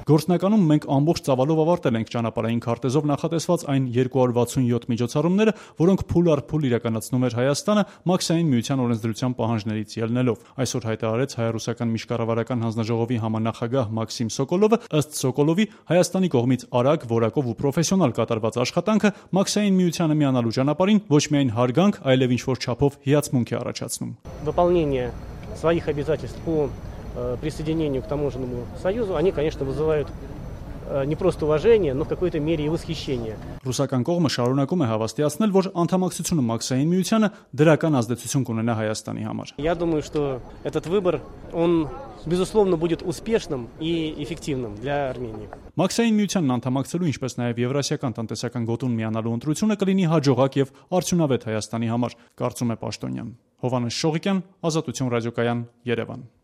Գործնականում մենք ամբողջ ծավալով ավարտել ենք ճանապարհային քարտեզով նախատեսված այն 267 միջոցառումները, որոնք փուլ առ փուլ իրականացնում էր Հայաստանը Մաքսային միության օրենսդրության պահանջներից ելնելով։ Այսօր հայտարարեց հայ-ռուսական միջկառավարական հանձնաժողովի համանախագահ Մաքսիմ Սոկոլովը, ըստ Սոկոլովի, Հայաստանի կողմից արագ, որակով ու պրոֆեսիոնալ կատարված աշխատանքը Մաքսային միությանը միանալու ճանապարհին ոչ միայն հարգանք, այլև ինչ-որ չափով հիացմունք է առաջացնում։ Выполнение своих обязательств по присоединению к таможенному союзу, они, конечно, вызывают не просто уважение, но в какой-то мере и восхищение. Ռուսական կողմը շարունակում է հավաստիացնել, որ անդամակցությունը Մաքսային միությանը դրական ազդեցություն կունենա Հայաստանի համար։ Я думаю, что этот выбор, он, безусловно, будет успешным и эффективным для Армении. Մաքսային միությանն անդամակցելու, ինչպես նաև Եվրասիական տնտեսական գոտուն միանալու ընտրությունը կլինի հաջողակ եւ արդյունավետ Հայաստանի համար, կարծում է Պաշտոնյան։ Հովհաննես Շողիկյան, Ազատություն ռադիոկայան, Երևան։